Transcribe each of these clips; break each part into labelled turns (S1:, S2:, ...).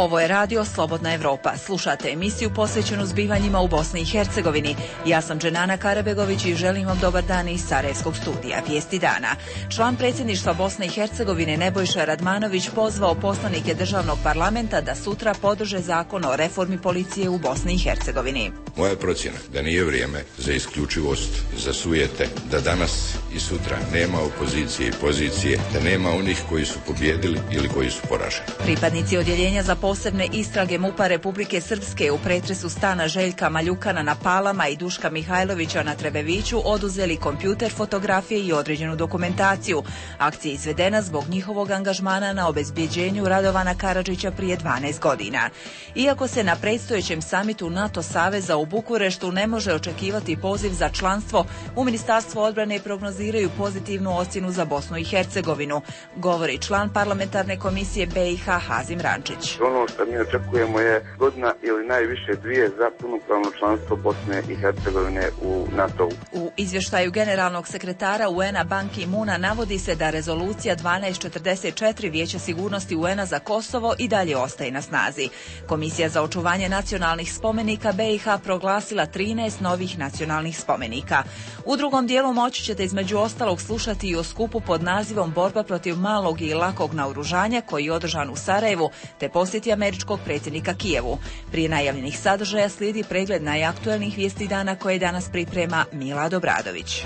S1: Ovo je radio Slobodna Evropa. Slušate emisiju posvećenu zbivanjima u Bosni i Hercegovini. Ja sam Dženana Karabegović i želim vam dobar dan iz Sarajevskog studija. Vijesti dana. Član predsjedništva Bosne i Hercegovine Nebojša Radmanović pozvao poslanike državnog parlamenta da sutra podrže zakon o reformi policije u Bosni i Hercegovini.
S2: Moja je procjena da nije vrijeme za isključivost, za sujete, da danas i sutra nema opozicije i pozicije, da nema onih koji su pobjedili ili koji su poraženi.
S1: Pripadnici odjeljenja za posebne istrage MUP-a Republike Srpske u pretresu stana Željka Maljukana na Palama i Duška Mihajlovića na Trebeviću oduzeli kompjuter, fotografije i određenu dokumentaciju. Akcija je izvedena zbog njihovog angažmana na obezbjeđenju Radovana Karadžića prije 12 godina. Iako se na predstojećem samitu NATO saveza u Bukureštu ne može očekivati poziv za članstvo, u Ministarstvu odbrane prognoziraju pozitivnu ocjenu za Bosnu i Hercegovinu, govori član parlamentarne komisije BiH Hazim Rančić.
S3: Ono što mi očekujemo je godina ili najviše dvije za punopravno članstvo Bosne i Hercegovine u NATO-u.
S1: U izvještaju generalnog sekretara UN-a Ban Ki-moona navodi se da rezolucija 1244 Vijeća sigurnosti UN-a za Kosovo i dalje ostaje na snazi. Komisija za očuvanje nacionalnih spomenika BiH proglasila 13 novih nacionalnih spomenika. U drugom dijelu moći ćete između ostalog slušati i o skupu pod nazivom Borba protiv malog i lakog naoružanja koji je održan u Sarajevu, te posjeti američkog predsjednika Kijevu. Prije najavljenih sadržaja slijedi pregled najaktuelnijih vijesti dana koje danas priprema Milad Obradović.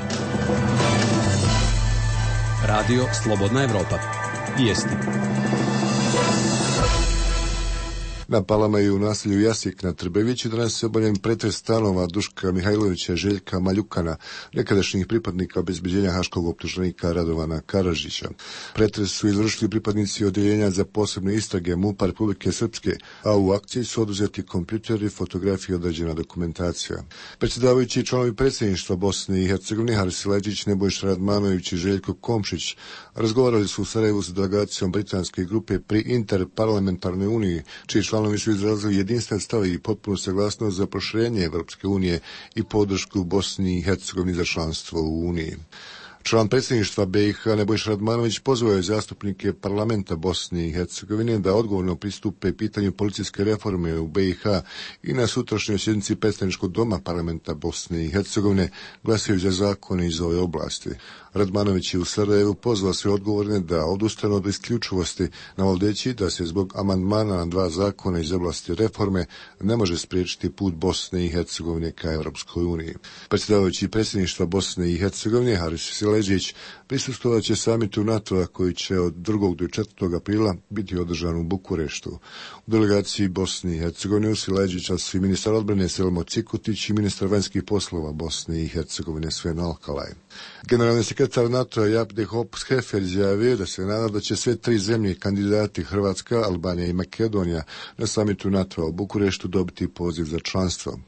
S4: Radio Slobodna Evropa. Vijesti.
S5: Na Palama i u naselju Jasik na Trbeviću danas je obavljen pretres stanova Duška Mihajlovića, Željka Maljukana, nekadašnjih pripadnika obezbeđenja haškog optuženika Radovana Karadžića. Pretres su izvršili pripadnici odjeljenja za posebne istrage MUP-a Republike Srpske, a u akciji su oduzeti kompjuteri, fotografije i određena dokumentacija. Predsjedavajući članovi predsjedništva Bosne i Hercegovine Haris Leđić, Nebojša Radmanović i Željko Komšić razgovarali su u Sarajevu sa delegacijom britanske grupe pri Interparlamentarnoj uniji, čiji članovi su izrazili jedinstven stav i potpunu saglasnost za proširenje Evropske unije i podršku Bosni i Hercegovini za članstvo u Uniji. Član predsjedništva BiH Nebojša Radmanović pozvao je zastupnike parlamenta Bosne i Hercegovine da odgovorno pristupe pitanju policijske reforme u BiH i na sutrašnjoj sjednici predstavničkog doma parlamenta Bosne i Hercegovine glasaju za zakone iz ove oblasti. Radmanović je u Sarajevu pozvao sve odgovorne da odustanu od isključivosti, navodeći da se zbog amandmana na 2 zakona iz oblasti reforme ne može spriječiti put Bosne i Hercegovine ka Evropskoj uniji. Predsjedavajući predsjedništva Bosne i Hercegovine Haris Leđić prisustvovat će samitu NATO-a koji će od 2. do 4. aprila biti održan u Bukureštu. U delegaciji Bosne i Hercegovine uz Leđića su i ministar odbrane Selmo Cikutić i ministar vanjskih poslova Bosne i Hercegovine Sven Alkalaj. Generalni sekretar NATO-a Jaap de Hoop Scheffer izjavio da se nada da će sve 3 zemlje kandidati Hrvatska, Albanija i Makedonija na samitu NATO-a u Bukureštu dobiti poziv za članstvo.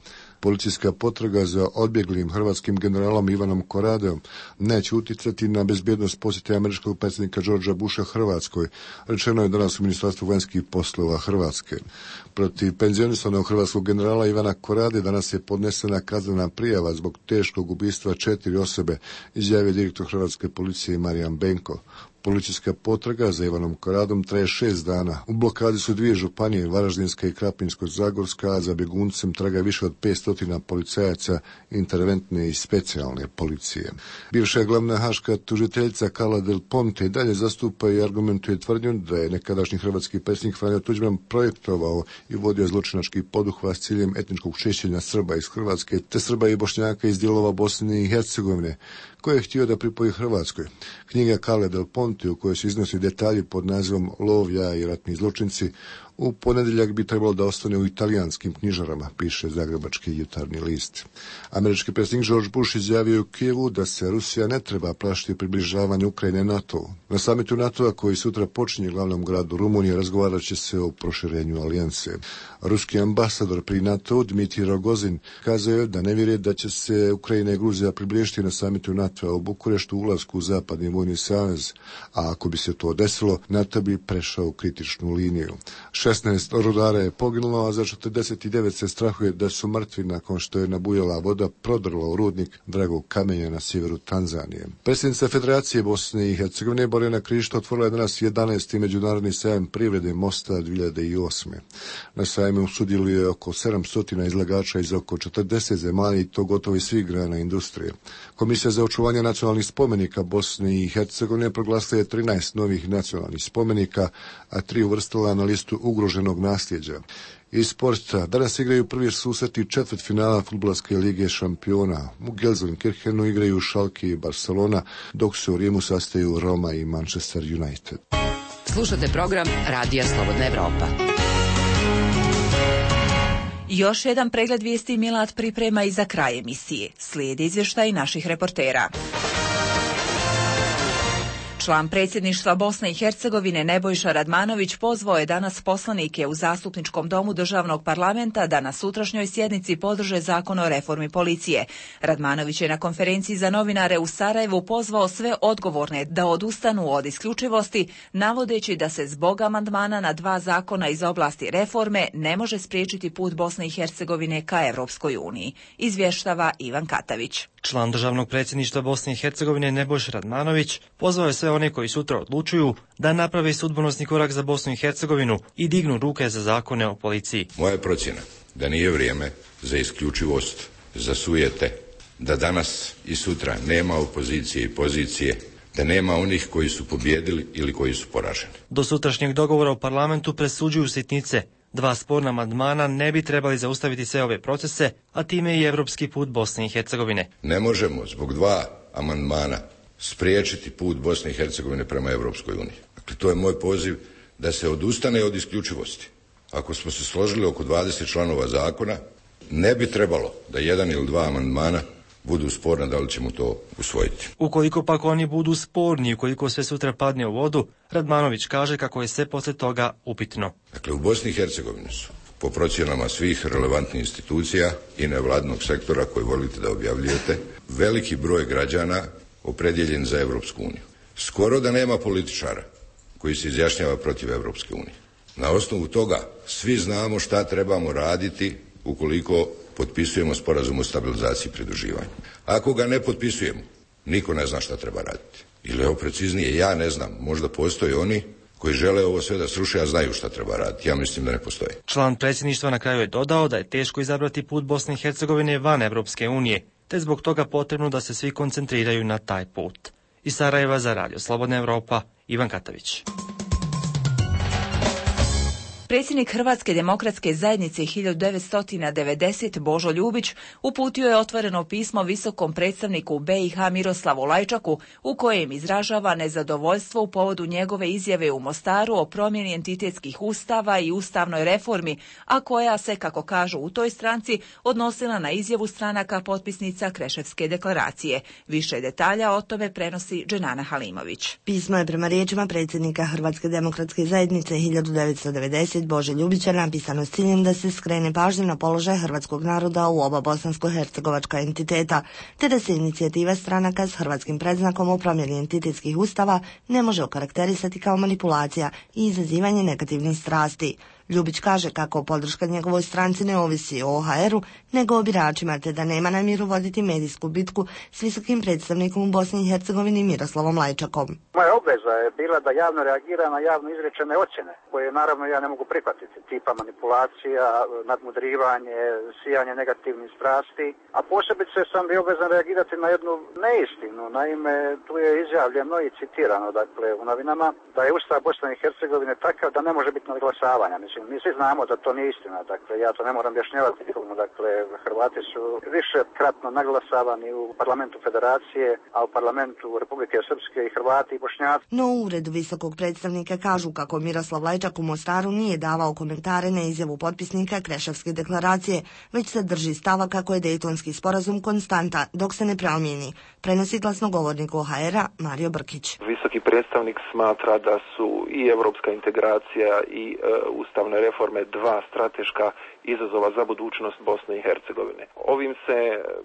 S5: Policijska potraga za odbjeglim hrvatskim generalom Ivanom Koradeom neće utjecati na bezbjednost posjete američkog predsjednika Georgea Busha Hrvatskoj, rečeno je danas u Ministarstvu vanjskih poslova Hrvatske. Protiv penzionisanog hrvatskog generala Ivana Korade danas je podnesena kaznena prijava zbog teškog ubistva 4 osobe, izjavio direktor hrvatske policije Marijan Benko. Policijska potraga za Ivanom Koradom traje 6 dana. U blokadi su 2 županije, Varaždinska i Krapinsko-Zagorska, a za bjeguncem traga više od 500 policajaca interventne i specijalne policije. Bivša glavna haška tužiteljica Carla Del Ponte dalje zastupa i argumentuje tvrdnju da je nekadašnji hrvatski predsjednik Franjo Tuđman projektovao i vodio zločinački poduhvat s ciljem etničkog čišćenja Srba iz Hrvatske te Srba i Bošnjaka iz dijelova Bosne i Hercegovine, koje je htio da pripoji Hrvatskoj. Knjiga Carle Del Ponte, u kojoj se iznosi detalji pod nazivom Lov, ja i ratni zločinci, u ponedjeljak bi trebalo da ostane u italijanskim knjižarama, piše Zagrebački jutarnji list. Američki predsjednik George Bush izjavio u Kijevu da se Rusija ne treba plašiti približavanja Ukrajine NATO-u. Na samitu NATO-a koji sutra počinje u glavnom gradu Rumunije razgovarat će se o proširenju alijanse. Ruski ambasador pri NATO Dmitrij Rogozin kazao je da ne vjeruje da će se Ukrajina i Gruzija približiti na samitu NATO-a u Bukureštu ulasku u zapadni vojni savez, a ako bi se to desilo, NATO bi prešao kritičnu liniju. Šef 16 rudara je poginulo, a za 49 se strahuje da su mrtvi nakon što je nabujala voda prodrla u rudnik Dragog kamenja na sjeveru Tanzanije. Predsjednica Federacije Bosne i Hercegovine Borjana Krišto otvorila je danas 11. međunarodni sajam privrede Mosta 2008. Na sajmu sudjeluje oko 700 izlagača iz oko 40 zemalja i to gotovo iz svih grana industrije. Komisija za očuvanje nacionalnih spomenika Bosne i Hercegovine proglasila je 13 novih nacionalnih spomenika, a 3 uvrstila na listu ugroženog nasljeđa. Iz sporta danas igraju prvi susreti četvrtfinala fudbalske lige šampiona. U Gelsenkirchenu igraju Schalke i Barcelona, dok se u Rimu sastaju Roma i Manchester United.
S6: Slušate program Radija Slobodna Evropa.
S1: Još jedan pregled vijesti Milad priprema i za kraj emisije. Slijedi izvještaj naših reportera. Član predsjedništva Bosne i Hercegovine Nebojša Radmanović pozvao je danas poslanike u Zastupničkom domu državnog parlamenta da na sutrašnjoj sjednici podrže zakon o reformi policije. Radmanović je na konferenciji za novinare u Sarajevu pozvao sve odgovorne da odustanu od isključivosti, navodeći da se zbog amandmana na 2 zakona iz oblasti reforme ne može spriječiti put Bosne i Hercegovine ka Evropskoj uniji. Izvještava Ivan Katavić.
S7: Član državnog predsjedništva Bosne i Hercegovine Nebojša Radmanović pozvao je sve one koji sutra odlučuju da naprave sudbonosni korak za Bosnu i Hercegovinu i dignu ruke za zakone o policiji.
S2: Moja procjena da nije vrijeme za isključivost, za sujete, da danas i sutra nema opozicije i pozicije, da nema onih koji su pobjedili ili koji su poraženi.
S7: Do sutrašnjeg dogovora u parlamentu presuđuju sitnice. 2 sporna amandmana ne bi trebali zaustaviti sve ove procese, a time i evropski put Bosne i Hercegovine.
S2: Ne možemo zbog 2 amandmana spriječiti put Bosne i Hercegovine prema Evropskoj uniji. Dakle, to je moj poziv da se odustane od isključivosti. Ako smo se složili oko 20 članova zakona, ne bi trebalo da 1 ili 2 amandmana budu sporna, da li ćemo to usvojiti.
S7: Ukoliko pak oni budu sporni, ukoliko sve sutra padne u vodu, Radmanović kaže kako je sve poslije toga upitno.
S2: Dakle, u Bosni i Hercegovini su, po procjenama svih relevantnih institucija i nevladinog sektora koji volite da objavljujete, veliki broj građana opredjeljen za Evropsku uniju. Skoro da nema političara koji se izjašnjava protiv Evropske unije. Na osnovu toga svi znamo šta trebamo raditi ukoliko potpisujemo sporazum o stabilizaciji i pridruživanju. Ako ga ne potpisujemo, niko ne zna šta treba raditi. Ili evo preciznije, ja ne znam, možda postoje oni koji žele ovo sve da sruše, a znaju šta treba raditi. Ja mislim da ne postoji.
S7: Član predsjedništva na kraju je dodao da je teško izabrati put Bosne i Hercegovine van Evropske unije, te zbog toga potrebno da se svi koncentriraju na taj put. Iz Sarajeva za Radio Slobodna Evropa, Ivan Katavić.
S1: Predsjednik Hrvatske demokratske zajednice 1990 Božo Ljubić uputio je otvoreno pismo visokom predstavniku BiH Miroslavu Lajčaku u kojem izražava nezadovoljstvo u povodu njegove izjave u Mostaru o promjeni entitetskih ustava i ustavnoj reformi, a koja se, kako kažu u toj stranci, odnosila na izjavu stranaka potpisnica Kreševske deklaracije. Više detalja o tome prenosi Dženana Halimović.
S8: Pismo je prema riječima predsjednika Hrvatske demokratske zajednice 1990 Bože Ljubića napisano s ciljem da se skrene pažnja na položaj hrvatskog naroda u oba bosansko-hercegovačka entiteta, te da se inicijativa stranaka s hrvatskim predznakom o promjeni entitetskih ustava ne može okarakterisati kao manipulacija i izazivanje negativnih strasti. Ljubić kaže kako podrška njegovoj stranci ne ovisi o OHR-u, nego o biračima, te da nema namjeru voditi medijsku bitku s visokim predstavnikom u Bosni i Hercegovini Miroslavom Lajčakom.
S9: Moja obveza je bila da javno reagira na javno izrečene ocjene, koje naravno ja ne mogu prihvatiti, tipa manipulacija, nadmudrivanje, sijanje negativnih strasti, a posebice sam bio obvezan reagirati na jednu neistinu. Naime, tu je izjavljeno i citirano, dakle, u novinama, da je Ustav Bosne i Hercegovine takav da ne može biti nadglasavanja. Mislim, mi svi znamo da to nije istina, dakle, ja to ne moram objašnjavati nikomu, dakle, Hrvati su višekratno naglasavani u parlamentu Federacije, a u parlamentu Republike Srpske i Hrvati i Bošnjaci.
S8: No u uredu visokog predstavnika kažu kako Miroslav Lajčak u Mostaru nije davao komentare na izjavu potpisnika Kreševske deklaracije, već se drži stava kako je Dejtonski sporazum konstanta dok se ne promijeni. Prenosi glasnogovornik OHR-a Mario Brkić.
S10: Visoki predstavnik smatra da su i evropska integracija i ustavne reforme 2 strateška izazova za budućnost Bosne i Hercegovine. Ovim se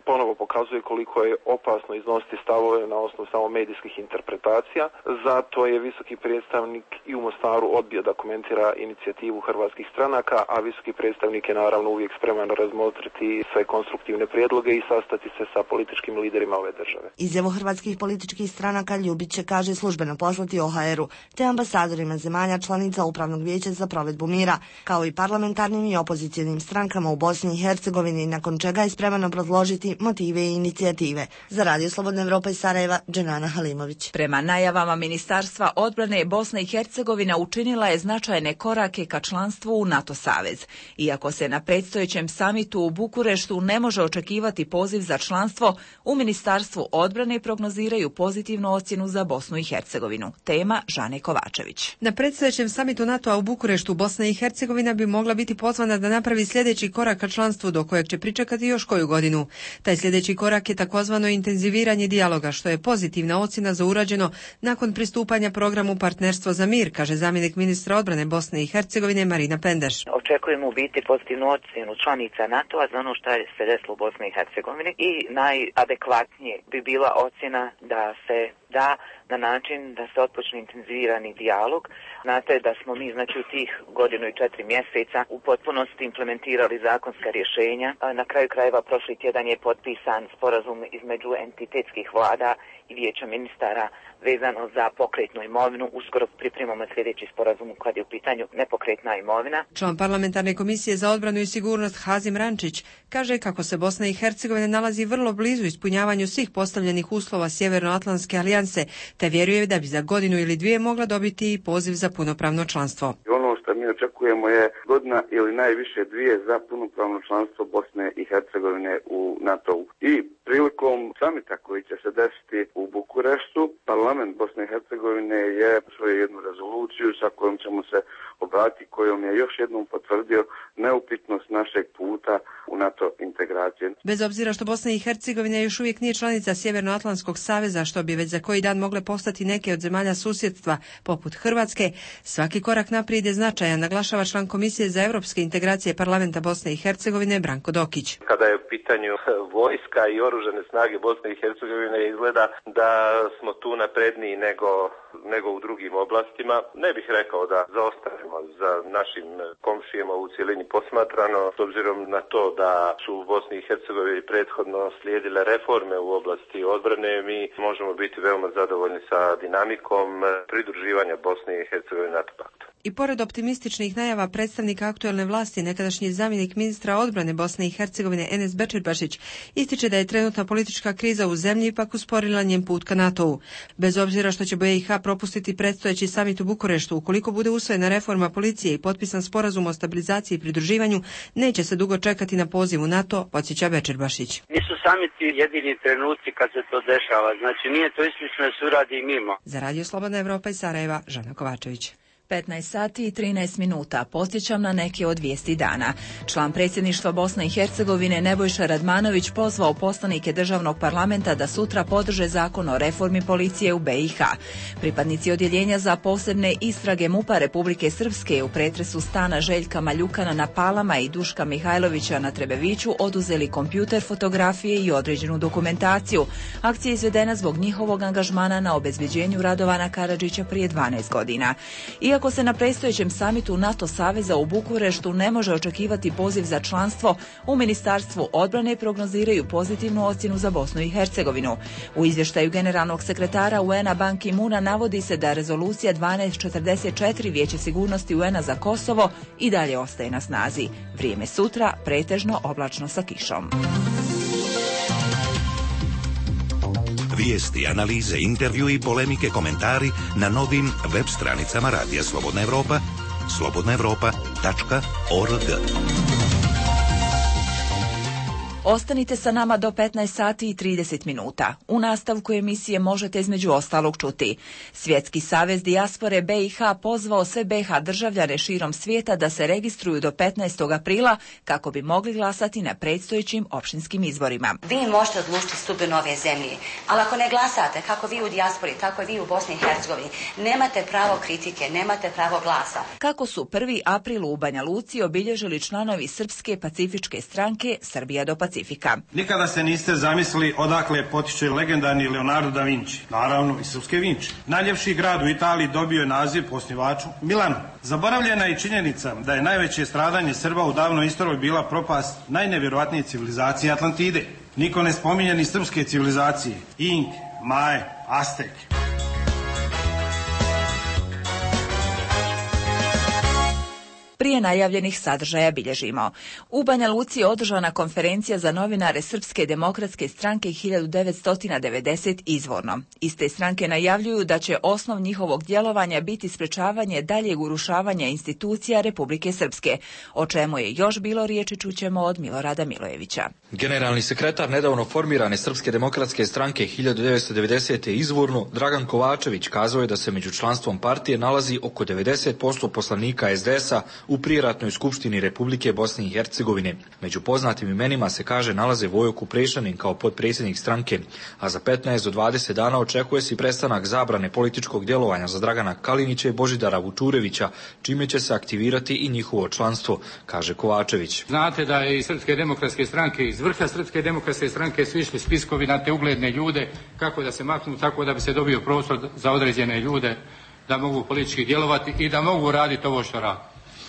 S10: ponovo pokazuje koliko je opasno iznositi stavove na osnovu samo medijskih interpretacija. Zato je visoki predstavnik i u Mostaru odbio da komentira inicijativu hrvatskih stranaka, a visoki predstavnik je naravno uvijek spreman razmotriti sve konstruktivne prijedloge i sastati se sa političkim liderima ove države.
S8: Izjavu hrvatskih političkih stranaka Ljubić će, kaže, službeno poslati OHR-u te ambasadorima zemalja članica Upravnog vijeća za provedbu mira, kao i parlamentarnim i opozicijnim strankama u Bosni i Hercegovini, nakon čega je spreman obrazložiti motive i inicijative. Za Radio Slobodna Evropa iz Sarajeva, Dženana Halimović.
S1: Prema najavama Ministarstva odbrane, Bosna i Hercegovina učinila je značajne korake ka članstvu u NATO savez. Iako se na predstojećem samitu u Bukureštu ne može očekivati poziv za članstvo, u Ministarstvu odbrane prognoziraju pozitivnu ocjenu za Bosnu i Hercegovinu. Tema Žane Kovačević.
S11: Na predstojećem samitu NATO-a u Bukureštu Bosna i Hercegovina bi mogla biti pozvana da napravi sljedeći korak ka članstvu, do kojeg će pričekati još koju godinu. Taj sljedeći korak je takozvano intenziviranje dijaloga, što je pozitivna ocjena za urađeno nakon pristupanja programu Partnerstvo za mir, kaže zamjenik ministra odbrane Bosne i Hercegovine Marina Pendeš.
S12: Očekujemo u biti pozitivnu ocjenu članica NATO-a za ono što se desilo u Bosni i Hercegovini i najadekvatnije bi bila ocjena da se da na način da se otpočne intenzivirani dijalog. Znate da smo mi u tih 1.4 mjeseca u potpunosti implementirali zakonska rješenja. Na kraju krajeva prošli tjedan je potpisan sporazum između entitetskih vlada i vijeća ministara vezano za pokretnu imovinu. Uskoro pripremamo sljedeći sporazum kad je u pitanju nepokretna imovina.
S11: Član parlamentarne komisije za odbranu i sigurnost Hazim Rančić kaže kako se Bosna i Hercegovina nalazi vrlo blizu ispunjavanju svih postavljenih uslova Sjevernoatlantske alijanse, te vjeruje da bi za 1 ili 2 mogla dobiti i poziv za punopravno članstvo.
S3: Ono što mi očekujemo je 1 ili najviše 2 za punopravno članstvo Bosne i Hercegovine u NATO-u. I prilikom samita koji će se desiti u Bukureštu, parlament Bosne i Hercegovine je svoju jednu rezoluciju sa kojom ćemo se obratiti, kojom je još jednom potvrdio neupitnost našeg puta u NATO integracije.
S11: Bez obzira što Bosna i Hercegovina još uvijek nije članica Sjevernoatlantskog saveza, što bi već za koji dan mogle postati neke od zemalja susjedstva poput Hrvatske, svaki korak naprijed je značajan, naglašava član Komisije za europske integracije parlamenta Bosne i Hercegovine Branko Dokić.
S13: Kada je u pitanju vojska i oružane snage Bosne i Hercegovine, izgleda da smo tu napredniji nego u drugim oblastima. Ne bih rekao da zaostajemo za našim komšijama u cjelini posmatrano, s obzirom na to da su u Bosni i Hercegovini prethodno slijedile reforme u oblasti odbrane, mi možemo biti veoma zadovoljni sa dinamikom pridruživanja Bosne i Hercegovine NATO paktu.
S11: I pored optimističnih najava predstavnika aktuelne vlasti, nekadašnji zamjenik ministra odbrane Bosne i Hercegovine Enes Bećirbašić ističe da je trenutna politička kriza u zemlji ipak usporila njen put ka NATO-u. Bez obzira što će BiH propustiti predstojeći samit u Bukureštu, ukoliko bude usvojena reforma policije i potpisan sporazum o stabilizaciji i pridruživanju, neće se dugo čekati na poziv u NATO, podsjeća Bećirbašić.
S14: Nisu samiti jedini trenuci kad se to dešava, znači nije to isključno da se uradi mimo.
S11: Za Radio Slobodna Evropa iz Sarajeva, Žana Kovačević.
S1: 15 sati i 13 minuta. Podsjećam na neke od vijesti dana. Član predsjedništva Bosne i Hercegovine Nebojša Radmanović pozvao poslanike državnog parlamenta da sutra podrže zakon o reformi policije u BiH. Pripadnici odjeljenja za posebne istrage MUP-a Republike Srpske u pretresu stana Željka Maljukana na Palama i Duška Mihajlovića na Trebeviću oduzeli kompjuter, fotografije i određenu dokumentaciju. Akcija je izvedena zbog njihovog angažmana na obezbeđenju Radovana Karadžića prije 12 godina. Iako se na predstojećem samitu NATO saveza u Bukureštu ne može očekivati poziv za članstvo, u Ministarstvu odbrane prognoziraju pozitivnu ocjenu za Bosnu i Hercegovinu. U izvještaju generalnog sekretara UN-a Ban Ki-moona navodi se da rezolucija 1244 Vijeća sigurnosti UN-a za Kosovo i dalje ostaje na snazi. Vrijeme sutra pretežno oblačno sa kišom.
S15: Vijesti, analize, intervju i polemike, komentari na novim web stranicama Radija Slobodna Evropa, slobodnaevropa.org.
S1: Ostanite sa nama do 15 sati i 30 minuta. U nastavku emisije možete između ostalog čuti. Svjetski savez dijaspore BiH pozvao sve BiH državljane širom svijeta da se registruju do 15. aprila kako bi mogli glasati na predstojećim opštinskim izborima.
S16: Vi možete odlučiti sudbinu ove zemlje, ali ako ne glasate, kako vi u dijaspori, tako i vi u Bosni i Hercegovini, nemate pravo kritike, nemate pravo glasa.
S1: Kako su 1. april u Banja Luci obilježili članovi Srpske pacifičke stranke Srbija do Pacifika.
S17: Nikada se niste zamislili odakle potiče legendarni Leonardo da Vinci, naravno i srpske Vinči. Najljepši grad u Italiji dobio je naziv po osnivaču Milanu. Zaboravljena je činjenica da je najveće stradanje Srba u davnoj istoriji bila propast najnevjerojatnije civilizacije Atlantide. Niko ne spominje ni srpske civilizacije, Ink, Maje, Aztek.
S1: Prije najavljenih sadržaja bilježimo. U Banja Luci je održana konferencija za novinare Srpske demokratske stranke 1990 izvorno. Iste stranke najavljuju da će osnov njihovog djelovanja biti sprečavanje daljeg urušavanja institucija Republike Srpske, o čemu je još bilo riječi čućemo od Milorada Milojevića.
S18: Generalni sekretar nedavno formirane Srpske demokratske stranke 1990. izvorno, Dragan Kovačević, kazao je da se među članstvom partije nalazi oko 90% poslanika SDS-a u prijeratnoj skupštini Republike Bosne i Hercegovine. Među poznatim imenima se kaže nalaze Vojo Kuprešanin kao potpredsjednik stranke, a za 15 do 20 dana očekuje se prestanak zabrane političkog djelovanja za Dragana Kalinića i Božidara Vučurevića, čime će se aktivirati i njihovo članstvo, kaže Kovačević.
S19: Znate da je iz Srpske demokratske stranke, iz vrha Srpske demokratske stranke su išli spiskovi na te ugledne ljude, kako da se maknu, tako da bi se dobio prostor za određene ljude da mogu politički djelovati i da mogu raditi ovo što radi.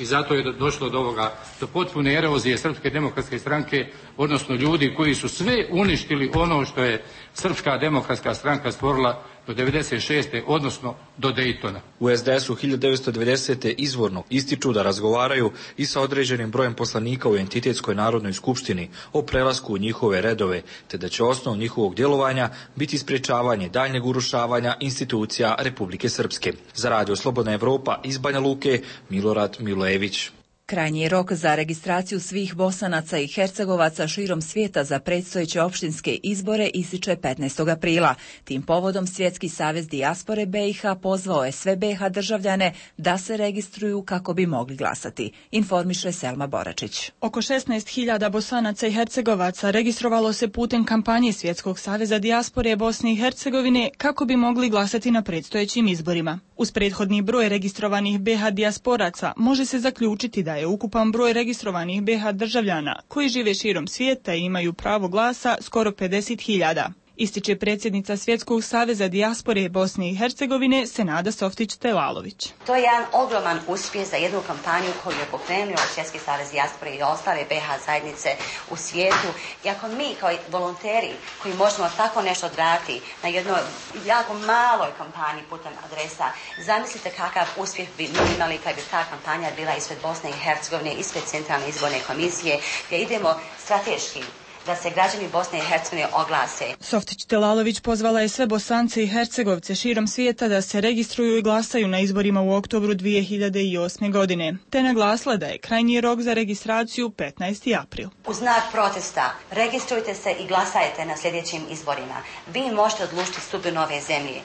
S19: I zato je došlo do ovoga, do potpune erozije Srpske demokratske stranke, odnosno ljudi koji su sve uništili ono što je Srpska demokratska stranka stvorila do 96. odnosno do Dejtona.
S18: U SDS-u 1990. izvorno ističu da razgovaraju i sa određenim brojem poslanika u entitetskoj narodnoj skupštini o prelasku u njihove redove, te da će osnov njihovog djelovanja biti sprečavanje daljnjeg urušavanja institucija Republike Srpske. Za Radio Slobodna Evropa iz Banja Luke, Milorad Milojević.
S1: Krajnji je rok za registraciju svih Bosanaca i Hercegovaca širom svijeta za predstojeće opštinske izbore ističe 15. aprila. Tim povodom Svjetski savez dijaspore BiH pozvao je sve BiH državljane da se registruju kako bi mogli glasati, informiše Selma Boračić.
S20: Oko 16.000 Bosanaca i Hercegovaca registrovalo se putem kampanje Svjetskog saveza dijaspore Bosne i Hercegovine kako bi mogli glasati na predstojećim izborima. Uz prethodni broj registrovanih BiH dijasporaca može se zaključiti da je ukupan broj registrovanih BiH državljana koji žive širom svijeta i imaju pravo glasa skoro 50.000. Ističe predsjednica Svjetskog saveza dijaspore Bosne i Hercegovine Senada Softić-Telalović.
S16: To je jedan ogroman uspjeh za jednu kampanju koju je pokrenuo Svjetski savez dijaspore i ostale BiH zajednice u svijetu. I ako mi kao volonteri koji možemo tako nešto odraditi na jednoj jako maloj kampanji putem adresa, zamislite kakav uspjeh bi mi imali kad bi ta kampanja bila ispred Bosne i Hercegovine, ispred Centralne izborne komisije, gdje idemo strateški da se građani Bosne i Hercegovine oglase.
S20: Softić-Telalović pozvala je sve Bosance i Hercegovce širom svijeta da se registruju i glasaju na izborima u oktobru 2008. godine, te naglasila da je krajnji rok za registraciju 15. april.
S16: U znak protesta registrujte se i glasajte na sljedećim izborima. Vi možete odlučiti sudbinu ove zemlje.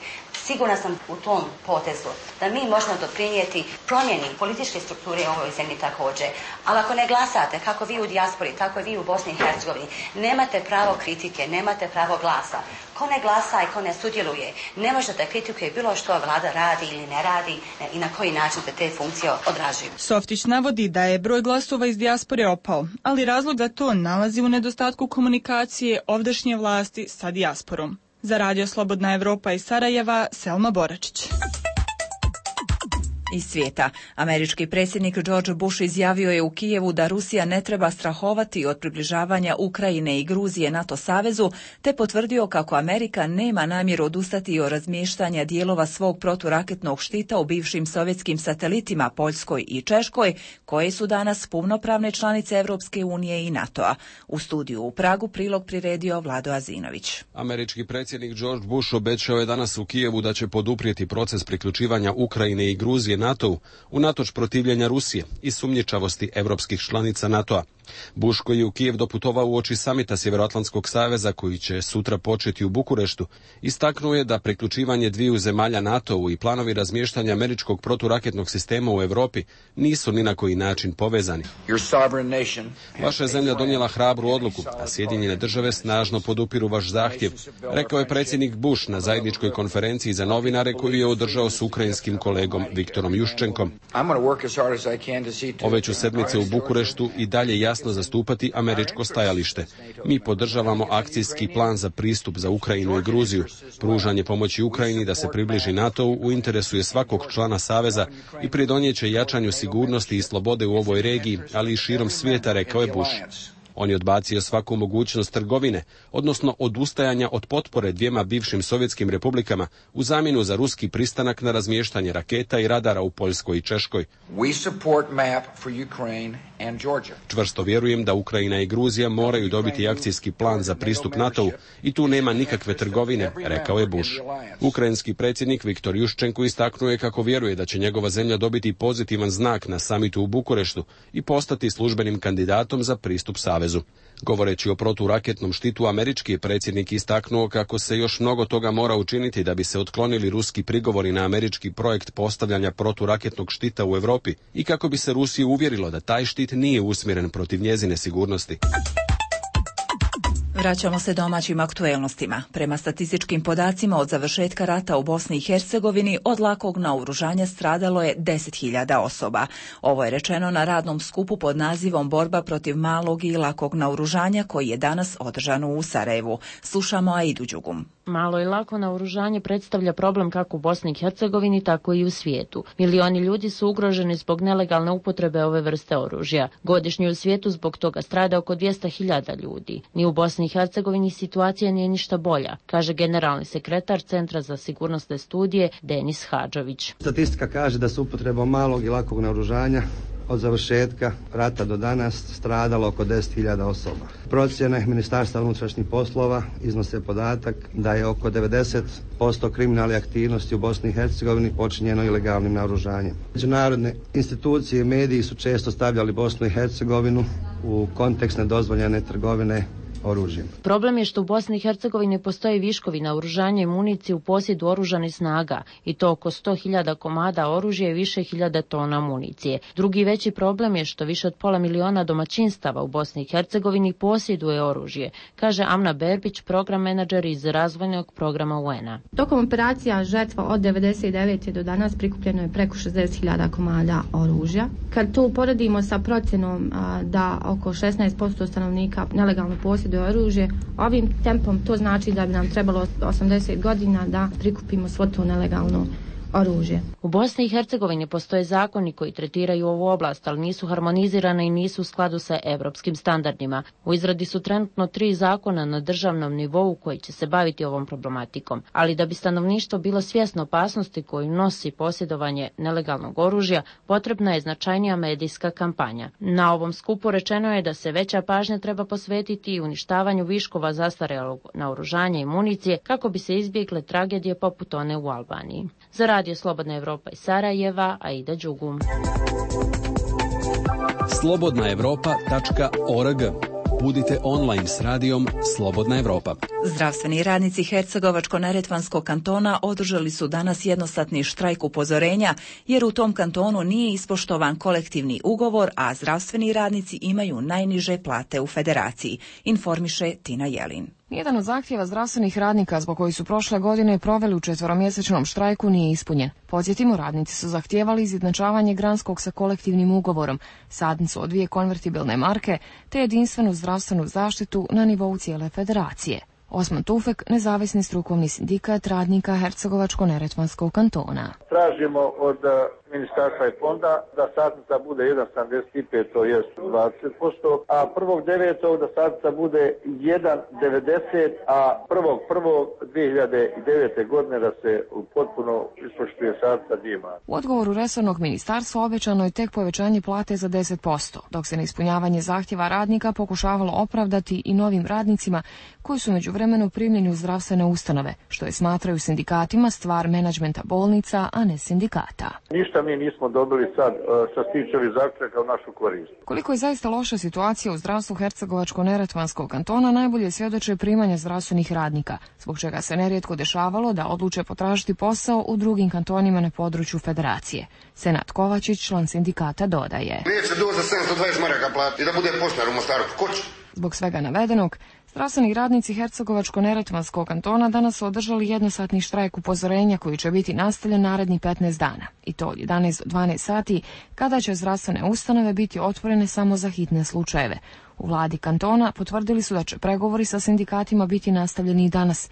S16: Sigurna sam u tom potezu da mi možemo doprinijeti promjeni političke strukture u ovoj zemlji također. Ali ako ne glasate, kako vi u dijaspori, tako i vi u Bosni i Hercegovini, nemate pravo kritike, nemate pravo glasa. Ko ne glasa i ko ne sudjeluje, ne može da kritikuje bilo što vlada radi ili ne radi i na koji način se te funkcije odražuju.
S20: Softić navodi da je broj glasova iz dijaspore opao, ali razlog za to nalazi u nedostatku komunikacije ovdašnje vlasti sa dijasporom. Za Radio Slobodna Evropa iz Sarajeva, Selma Boračić.
S1: Iz svijeta. Američki predsjednik George Bush izjavio je u Kijevu da Rusija ne treba strahovati od približavanja Ukrajine i Gruzije NATO savezu, te potvrdio kako Amerika nema namjeru odustati od razmještanja dijelova svog proturaketnog štita u bivšim sovjetskim satelitima Poljskoj i Češkoj, koje su danas punopravne članice Europske unije i NATO-a. U studiju u Pragu prilog priredio Vlado Azinović.
S21: Američki predsjednik George Bush obećao je danas u Kijevu da će poduprijeti proces priključivanja Ukrajine i Gruzije NATO-u unatoč protivljenja Rusije i sumnjičavosti europskih članica NATO-a. Bush, koji je u Kijev doputovao uoči samita Sjevernoatlantskog saveza koji će sutra početi u Bukureštu, istaknuo je da priključivanje dviju zemalja NATO-u i planovi razmještanja američkog proturaketnog sistema u Europi nisu ni na koji način povezani. Vaša je zemlja donijela hrabru odluku, a Sjedinjene države snažno podupiru vaš zahtjev, rekao je predsjednik Bush na zajedničkoj konferenciji za novinare koju je održao s ukrajinskim kolegom Viktorom Juščenkom. Ove ću sedmice u Bukureštu i dalje jasno zastupati američko stajalište. Mi podržavamo akcijski plan za pristup za Ukrajinu i Gruziju. Pružanje pomoći Ukrajini da se približi NATO-u u interesu je svakog člana saveza i pridonijeće jačanju sigurnosti i slobode u ovoj regiji, ali i širom svijeta, rekao je Bush. On je odbacio svaku mogućnost trgovine, odnosno odustajanja od potpore dvijema bivšim sovjetskim republikama u zamjenu za ruski pristanak na razmještanje raketa i radara u Poljskoj i Češkoj. Čvrsto vjerujem da Ukrajina i Gruzija moraju dobiti akcijski plan za pristup NATO-u i tu nema nikakve trgovine, rekao je Bush. Ukrajinski predsjednik Viktor Juščenko istaknuo je kako vjeruje da će njegova zemlja dobiti pozitivan znak na samitu u Bukureštu i postati službenim kandidatom za pristup savezu. Govoreći o proturaketnom štitu, američki predsjednik istaknuo kako se još mnogo toga mora učiniti da bi se otklonili ruski prigovori na američki projekt postavljanja proturaketnog štita u Europi i kako bi se Rusiju uvjerilo da taj štit nije usmjeren protiv njezine sigurnosti.
S1: Vraćamo se domaćim aktuelnostima. Prema statističkim podacima od završetka rata u Bosni i Hercegovini od lakog naoružanja stradalo je 10.000 osoba. Ovo je rečeno na radnom skupu pod nazivom Borba protiv malog i lakog naoružanja koji je danas održan u Sarajevu. Slušamo Aidu Đugum.
S4: Malo i lako naoružanje predstavlja problem kako u Bosni i Hercegovini, tako i u svijetu. Milioni ljudi su ugroženi zbog nelegalne upotrebe ove vrste oružja. Godišnje u svijetu zbog toga strada oko 200.000 ljudi. Ni u Bosni i Hercegovini situacija nije ništa bolja, kaže generalni sekretar Centra za sigurnosne studije Denis Hadžović.
S22: Statistika kaže da se upotrebom malog i lakog naoružanja od završetka rata do danas stradalo oko 10.000 osoba. Procjene Ministarstva unutrašnjih poslova iznose podatak da je oko 90% kriminalne aktivnosti u Bosni i Hercegovini počinjeno ilegalnim naoružanjem. Međunarodne institucije i mediji su često stavljali Bosnu i Hercegovinu u kontekst nedozvoljene trgovine oružjem.
S4: Problem je što u Bosni i Hercegovini postoji viškovi naoružanja i municije u posjedu oružanih snaga i to oko 100.000 komada oružja i više hiljada tona municije. Drugi veći problem je što više od 500.000 domaćinstava u Bosni i Hercegovini posjeduje oružje, kaže Amna Berbić, program menadžer iz razvojnog programa UN-a.
S23: Tokom operacija Žetva od 1999. do danas prikupljeno je preko 60.000 komada oružja. Kad to uporedimo sa procjenom da oko 16% stanovnika nelegalno posjeduje oružje, ovim tempom to znači da bi nam trebalo 80 godina da prikupimo svo to nelegalno oružje.
S4: U Bosni i Hercegovini postoje zakoni koji tretiraju ovu oblast, ali nisu harmonizirane i nisu u skladu sa evropskim standardima. U izradi su trenutno 3 zakona na državnom nivou koji će se baviti ovom problematikom. Ali da bi stanovništvo bilo svjesno opasnosti koju nosi posjedovanje nelegalnog oružja, potrebna je značajnija medijska kampanja. Na ovom skupu rečeno je da se veća pažnja treba posvetiti i uništavanju viškova zastarjelog naoružanja i municije kako bi se izbjegle tragedije poput one u Albaniji. Za Radio Slobodna Evropa iz Sarajeva, Aida Đugum.
S21: slobodnaevropa.org. Budite online s radijom Slobodna Evropa.
S1: Zdravstveni radnici Hercegovačko-neretvanskog kantona održali su danas jednosatni štrajk upozorenja jer u tom kantonu nije ispoštovan kolektivni ugovor, a zdravstveni radnici imaju najniže plate u federaciji, informiše Tina Jelin.
S24: Jedan od zahtjeva zdravstvenih radnika zbog koji su prošle godine proveli u 4-mjesečnom štrajku nije ispunjen. Podsjetimo, radnici su zahtijevali izjednačavanje granskog sa kolektivnim ugovorom, sadnicu od 2 konvertibilne marke te jedinstvenu zdravstvenu zaštitu na nivou cijele federacije. Osman Tufek, nezavisni strukovni sindikat radnika Hercegovačko-neretvanskog kantona.
S25: Tražimo od ministarstva i fonda da satnica bude 1,75, to je 20%, a 1.9. da satnica bude 1,90, a 1.1.2009. godine da se potpuno ispoštuje satnica dima.
S24: U odgovoru resornog ministarstva obećano je tek povećanje plate za 10%, dok se neispunjavanje zahtjeva radnika pokušavalo opravdati i novim radnicima koji su međuvremenu primljeni u zdravstvene ustanove, što je smatraju sindikatima stvar menadžmenta bolnica, a ne sindikata.
S25: Ništa mi nismo dobili sad što se tiče ovih zaključaka u našu korist.
S24: Koliko je zaista loša situacija u zdravstvu Hercegovačko-neretvanskog kantona najbolje svjedoče primanja zdravstvenih radnika, zbog čega se nerijetko dešavalo da odluče potražiti posao u drugim kantonima na području federacije. Senat Kovačić, član sindikata, dodaje:
S2: Neće doći za 720 maraka plati i da bude poštar u Mostaru. Ko će?
S24: Zbog svega navedenog, zdravstveni radnici Hercegovačko-neretvanskog kantona danas su održali jednosatni štrajk upozorenja koji će biti nastavljen naredni 15 dana. I to od 11 do 12 sati, kada će zdravstvene ustanove biti otvorene samo za hitne slučajeve. U vladi kantona potvrdili su da će pregovori sa sindikatima biti nastavljeni i danas,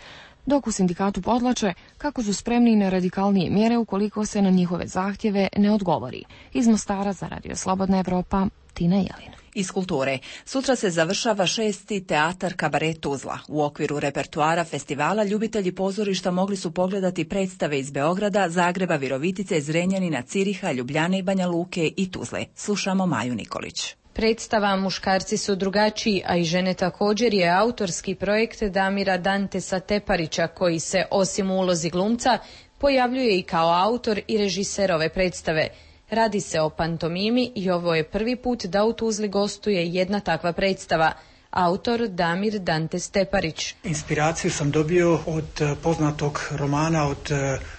S24: dok u sindikatu podlače kako su spremni na radikalnije mjere ukoliko se na njihove zahtjeve ne odgovori. Iz Mostara za Radio Slobodna Evropa, Tina Jelin.
S1: Iz kulture. Sutra se završava 6. teatar Kabaret Tuzla. U okviru repertoara festivala ljubitelji pozorišta mogli su pogledati predstave iz Beograda, Zagreba, Virovitice, Zrenjanina, Ciriha, Ljubljane i Banja Luke i Tuzle. Slušamo Maju Nikolić.
S5: Predstava Muškarci su drugačiji, a i žene također je autorski projekt Damira Dantesa Teparića, koji se osim u ulozi glumca pojavljuje i kao autor i režiser ove predstave. Radi se o pantomimi i ovo je prvi put da u Tuzli gostuje jedna takva predstava. Autor Damir Dantes Teparić.
S6: Inspiraciju sam dobio od poznatog romana od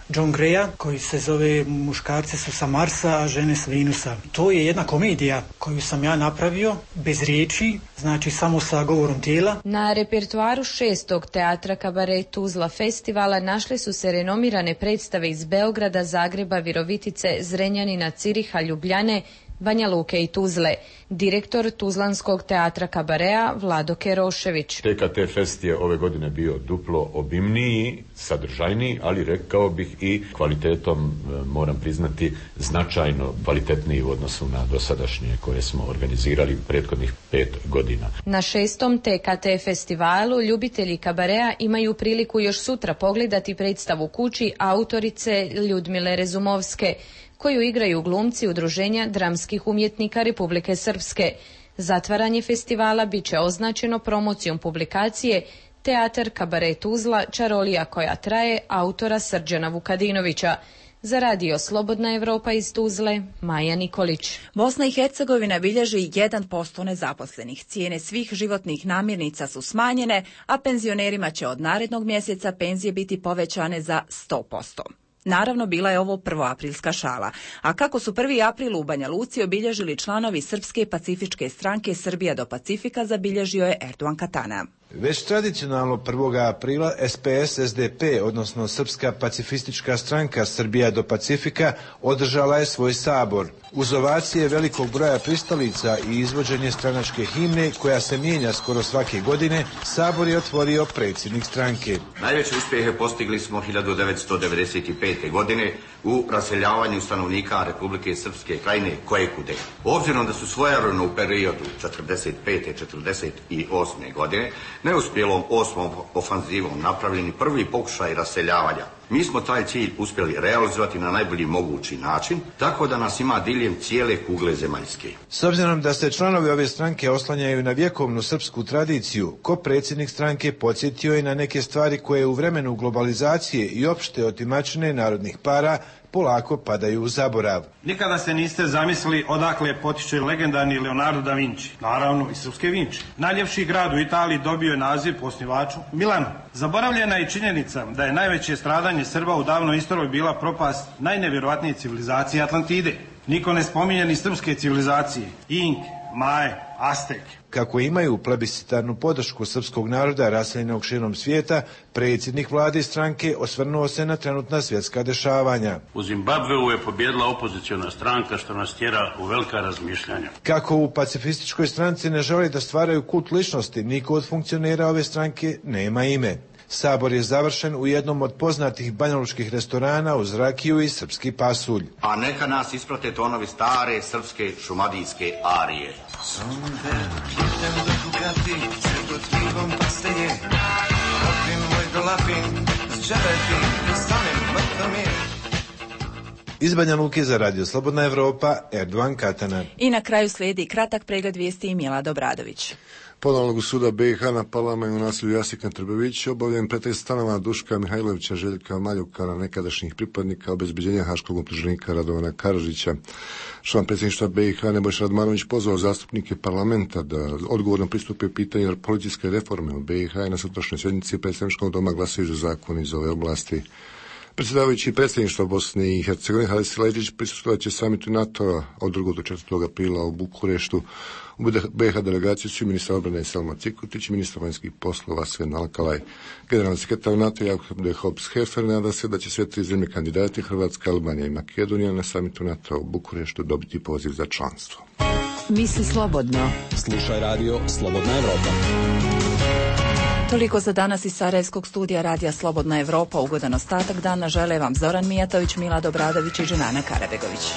S6: John Greya koji se zove Muškarci su sa Marsa, a žene s Venusa. To je jedna komedija koju sam ja napravio bez riječi, znači samo sa govorom tijela.
S5: Na repertoaru 6. teatra Kabaret Tuzla festivala našle su se renomirane predstave iz Beograda, Zagreba, Virovitice, Zrenjanina, Ciriha, Ljubljane, Banja Luke i Tuzle. Direktor Tuzlanskog teatra Kabarea Vlado Kerošević.
S7: TKT Fest je ove godine bio duplo obimniji, sadržajniji, ali rekao bih i kvalitetom, moram priznati, značajno kvalitetniji u odnosu na dosadašnje koje smo organizirali prethodnih 5 godina.
S5: Na 6. TKT festivalu ljubitelji Kabarea imaju priliku još sutra pogledati predstavu kući autorice Ljudmile Rezumovske, koju igraju glumci Udruženja dramskih umjetnika Republike Srpske. Zatvaranje festivala bit će označeno promocijom publikacije Teatar Kabaret Tuzla, čarolija koja traje, autora Srđana Vukadinovića. Za Radio Slobodna Evropa iz Tuzle, Maja Nikolić.
S1: Bosna i Hercegovina bilježi 1% nezaposlenih. Cijene svih životnih namirnica su smanjene, a penzionerima će od narednog mjeseca penzije biti povećane za 100%. Naravno, bila je ovo prvoaprilska šala. A kako su 1. april u Banja Luci obilježili članovi Srpske pacifičke stranke Srbija do Pacifika, zabilježio je Erdogan Katana.
S9: Već tradicionalno 1. aprila SPS-SDP, odnosno Srpska pacifistička stranka Srbija do Pacifika, održala je svoj sabor. Uz ovacije velikog broja pristalica i izvođenje stranačke himne, koja se mijenja skoro svake godine, sabor je otvorio predsjednik stranke.
S26: Najveće uspjehe postigli smo 1995. godine u raseljavanju stanovnika Republike Srpske krajine Kojekude. Obzirom da su svojevremeno u periodu 45-48. godine neuspjelom 8. ofanzivom napravljeni prvi pokušaj raseljavanja. Mi smo taj cilj uspjeli realizovati na najbolji mogući način, tako da nas ima diljem cijele kugle zemaljske.
S9: S obzirom da se članovi ove stranke oslanjaju na vjekovnu srpsku tradiciju, ko predsjednik stranke podsjetio je na neke stvari koje u vremenu globalizacije i opšte otimačine narodnih para polako padaju u zaborav.
S17: Nikada se niste zamislili odakle potiče legendarni Leonardo da Vinci, naravno i srpske Vinči. Najljepši grad u Italiji dobio je naziv po osnivaču Milanu. Zaboravljena je činjenica da je najveće stradanje Srba u davnoj istoriji bila propast najnevjerojatnije civilizacije Atlantide. Niko ne spominje ni srpske civilizacije, Inke, Maje, Azteke.
S9: Kako imaju plebiscitarnu podršku srpskog naroda raseljenog širom svijeta, predsjednik vlade i stranke osvrnuo se na trenutna svjetska dešavanja.
S27: U Zimbabveu je pobjedila opoziciona stranka, što nas tjera u velika razmišljanja.
S9: Kako u pacifističkoj stranci ne žele da stvaraju kult ličnosti, niko od funkcionera ove stranke nema ime. Sabor je završen u jednom od poznatih banjalučkih restorana uz rakiju i srpski pasulj.
S26: A neka nas isprate tonovi stare srpske šumadijske arije.
S9: Iz Banja Luke za Radio Slobodna Evropa, Erdogan Katana.
S1: I na kraju slijedi kratak pregled vijesti i Milad Obradović.
S3: Ponovnog suda BiH na Palama i u naselju Jasik na Trbeviću obavljen pretres stanova Duška Mihajlovića, Željka Maljukana, nekadašnjih pripadnika obezbeđenja haškog optuženika Radovana Karadžića. Član predsjedništva BiH Nebojša Radmanović pozvao zastupnike parlamenta da odgovorno pristupe pitanju policijske reforme u BiH i na sutrašnjoj sjednici predstavničkog doma glasaju za zakon iz ove oblasti. Predsjedavajući predsjedništva Bosne i Hercegovine Haris Leđić prisustvovat će samitu NATO-a od 2. do 4. aprila u Bukureštu. U BiH delegaciju su ministar obrane Selma Cikutić i ministar vanjskih poslova Sven Alkalaj. Generalni sekretar NATO Jakob de Hops-Hefer nada se da će sve 3 zemlje kandidati, Hrvatska, Albanija i Makedonija, na samitu NATO u Bukureštu dobiti poziv za članstvo.
S8: Misli slobodno.
S21: Slušaj radio Slobodna Evropa.
S1: Toliko za danas iz Sarajevskog studija Radija Slobodna Evropa. Ugodan ostatak dana žele vam Zoran Mijatović, Milad Obradović i Dženana Karabegović.